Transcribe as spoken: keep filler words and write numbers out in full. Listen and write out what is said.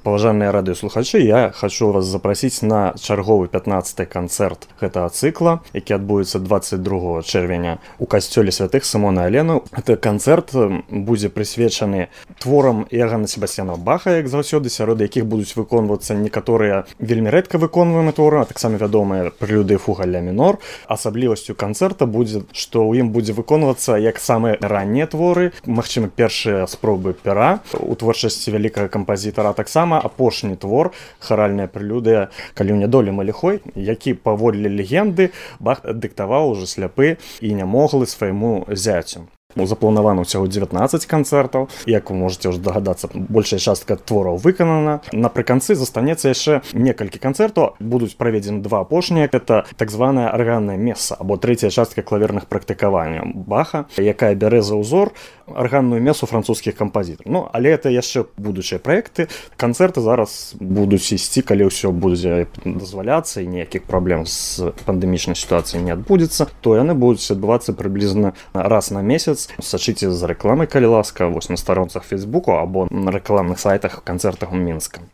Паважаныя радыёслухачы, я хочу вас запрасіць на чарговы пятнаццаты канцэрт гэтага цыкла, які адбудзецца дваццаць другога чэрвеня у касцёле святых Сымона і Алены. Гэты канцэрт будзе прысвечаны творам Іоганна Себасцьяна Баха, як заўсёды, сярод якіх будуць выконвацца некаторыя вельмі рэдка выконваемыя творы, а таксама вядомыя прэлюды і фуга ля мінор. Асаблівасцю канцэрта будзе, што ў ім будзе выконвацца як самыя раннія творы, магчыма, першыя спробы пера у творчасці вялікага кампазітара, а таксама апошні твор, харальная прэлюдыя «Калі ў нядолі мы ліхой», які, паводле легенды, Бах дыктаваў ужо сляпы і нямоглы свайму зяцю. Запланавана ўсяго дзевятнаццаць канцэртаў. Як вы можаце ўжо дагадацца, большая частка твораў выканана. Напрыканцы застанецца яшчэ некалькі канцэртаў. Будуць праведзены два апошнія. Гэта так званая арганная меса, або трэцяя частка клаверных практыкаванняў Баха, якая бярэ за ўзор арганную месу французскіх кампазітараў. Ну, але это яшчэ будучыя праекты. Канцэрты зараз будуць ісці, калі ўсё будзе дазваляцца і ніякіх праблем з пандэмічнай сітуацыяй не адбудзецца, то яны будуць адбывацца прыблізна раз на месяц. Сачыце за рэкламай, калі ласка, вось на старонцах Фейсбуку або на рэкламных сайтах канцэртах у Мінска.